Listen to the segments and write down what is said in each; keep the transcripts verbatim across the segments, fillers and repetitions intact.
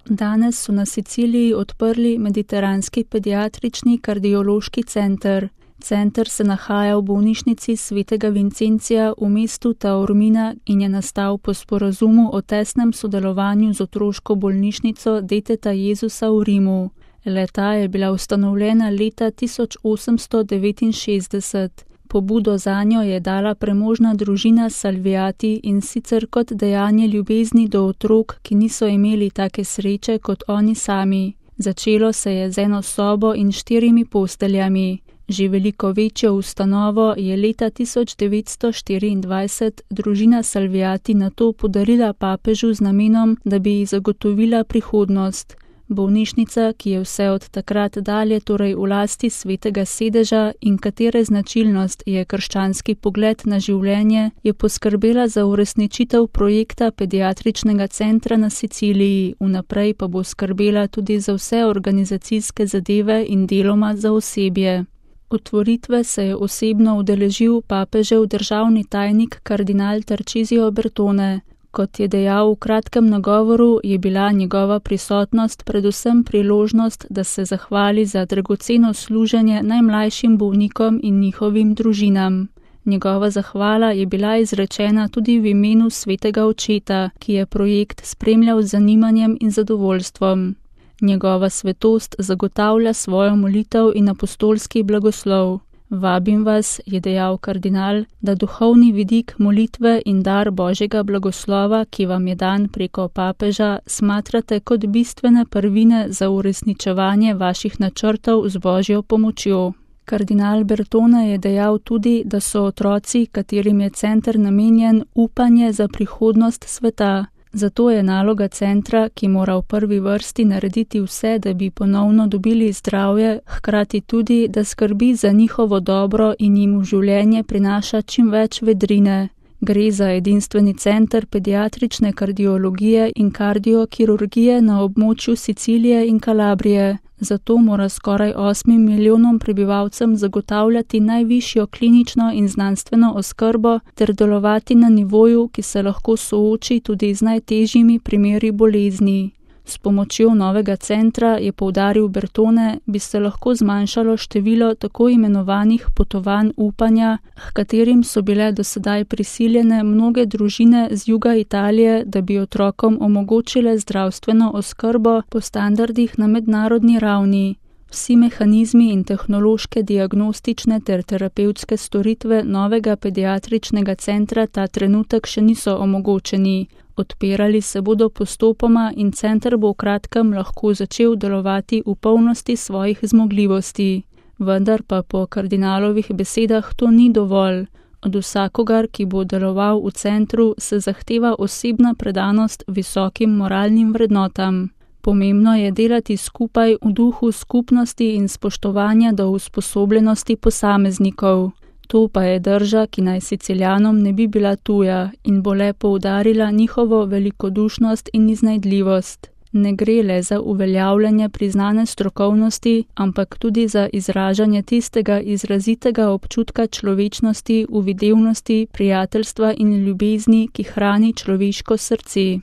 Danes so na Siciliji odprli Mediteranski pediatrični kardiološki center. Center se nahaja v bolnišnici svetega Vincencija v mestu Taormina in je nastal po sporazumu o tesnem sodelovanju z otroško bolnišnico Deteta Jezusa v Rimu. Le-ta je bila ustanovljena leta tisoč osemsto devetinšestdeset. Pobudo zanjo je dala premožna družina Salviati in sicer kot dejanje ljubezni do otrok, ki niso imeli take sreče kot oni sami. Začelo se je z eno sobo in štirimi posteljami. Že veliko večjo ustanovo je leta tisoč devetsto štiriindvajset družina Salviati nato podarila papežu z namenom, da bi ji zagotovila prihodnost. Bolnišnica, ki je vse od takrat dalje torej v lasti svetega sedeža in katere značilnost je krščanski pogled na življenje, je poskrbela za uresničitev projekta pediatričnega centra na Siciliji, vnaprej pa bo skrbela tudi za vse organizacijske zadeve in deloma za osebje. Otvoritve se je osebno udeležil papežev državni tajnik kardinal Tarcisio Bertone. Kot je dejal v kratkem nagovoru, je bila njegova prisotnost predvsem priložnost, da se zahvali za dragoceno služenje najmlajšim bolnikom in njihovim družinam. Njegova zahvala je bila izrečena tudi v imenu svetega očeta, ki je projekt spremljal z zanimanjem in zadovoljstvom. Njegova svetost zagotavlja svojo molitev in apostolski blagoslov. Vabim vas, je dejal kardinal, da duhovni vidik molitve in dar Božjega blagoslova, ki vam je dan preko papeža, smatrate kot bistvene prvine za uresničevanje vaših načrtov z Božjo pomočjo. Kardinal Bertone je dejal tudi, da so otroci, katerim je center namenjen, upanje za prihodnost sveta. Zato je naloga centra, ki mora v prvi vrsti narediti vse, da bi ponovno dobili zdravje, hkrati tudi, da skrbi za njihovo dobro in jim v življenje prinaša čim več vedrine. Gre za edinstveni center pediatrične kardiologije in kardiokirurgije na območju Sicilije in Kalabrije. Zato mora skoraj osmim milijonom prebivalcem zagotavljati najvišjo klinično in znanstveno oskrbo ter delovati na nivoju, ki se lahko sooči tudi z najtežjimi primeri bolezni. S pomočjo novega centra, je poudaril Bertone, bi se lahko zmanjšalo število tako imenovanih potovanj upanja, h katerim so bile dosedaj prisiljene mnoge družine z juga Italije, da bi otrokom omogočile zdravstveno oskrbo po standardih na mednarodni ravni. Vsi mehanizmi in tehnološke diagnostične ter terapevtske storitve novega pediatričnega centra ta trenutek še niso omogočeni. Odpirali se bodo postopoma in center bo v kratkem lahko začel delovati v polnosti svojih zmogljivosti. Vendar pa po kardinalovih besedah to ni dovolj. Od vsakogar, ki bo deloval v centru, se zahteva osebna predanost visokim moralnim vrednotam. Pomembno je delati skupaj v duhu skupnosti in spoštovanja do usposobljenosti posameznikov. To pa je drža, ki naj Siciljanom ne bi bila tuja in bo le poudarila njihovo velikodušnost in iznajdljivost. Ne gre le za uveljavljanje priznane strokovnosti, ampak tudi za izražanje tistega izrazitega občutka človečnosti, uvidevnosti, prijateljstva in ljubezni, ki hrani človeško srce.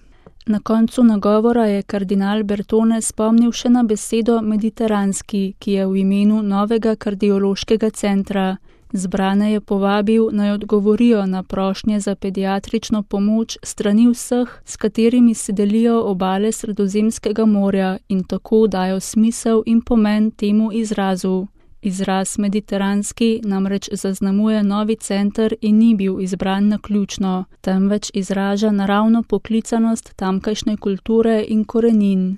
Na koncu nagovora je kardinal Bertone spomnil še na besedo mediteranski, ki je v imenu novega kardiološkega centra. Zbrane je povabil, naj odgovorijo na prošnje za pediatrično pomoč strani vseh, s katerimi se delijo obale Sredozemskega morja in tako dajo smisel in pomen temu izrazu. Izraz mediteranski namreč zaznamuje novi center in ni bil izbran naključno, temveč izraža naravno poklicanost tamkajšnje kulture in korenin.